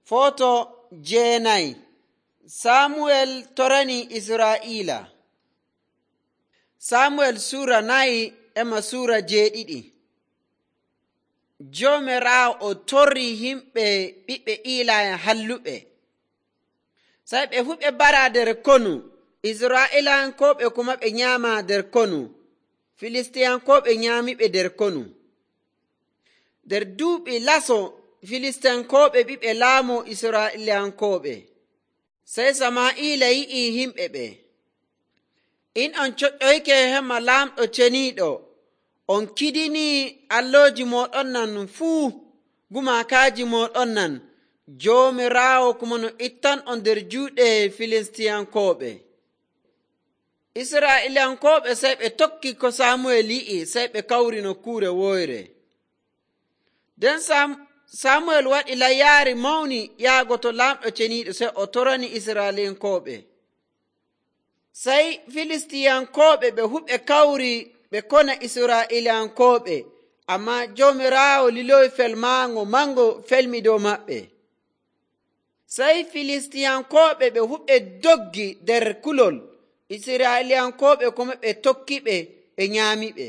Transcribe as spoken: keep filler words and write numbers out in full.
Foto jeenayi. Samuel torani Israa'ila. Samuel sura nayi ema sura jeeɗiɗi. Joomiraawo o torri himɓe ɓiɓɓe Iilayen halluɓe. Sai ɓe fu ɓe bara nder konu. Israa'ilankoɓe kuma ɓe nyaama nder konu. Filistiyankoɓe nyaamiɓe nder konu. Nder duuɓi laso Filistiyankoɓe ɓiɓɓe laamu Israa'ilankoɓe. Sai Samaa'ila yi'i himɓe ɓe, in on coƴƴoyke hema laamɗo ceniiɗo, on kidini allooji mooɗon nan fuu, gumaakaaji mooɗon nan, Joomiraawo kuma no ittan on nder juuɗe Filistiyankoɓe. Israa'ilankoɓe sai ɓe tokki ko Samuel yi'i, sai ɓe kawri nokkuure woyre. Nden Samuel waɗi layyaari mawni yaago to laamɗo ceniiɗo, sai o torani Israa'ilankoɓe. Sai Filistiyankoɓe ɓe fu ɓe kawri ɓe kona Israa'ilankoɓe, amma Joomiraawo liloyi felmaango mango felmi dow maɓɓe. Sai Filistiyankoɓe ɓe fu ɓe doggi nder kulol, Israa'ilankoɓe kuma ɓe tokki ɓe ɓe nyaami ɓe.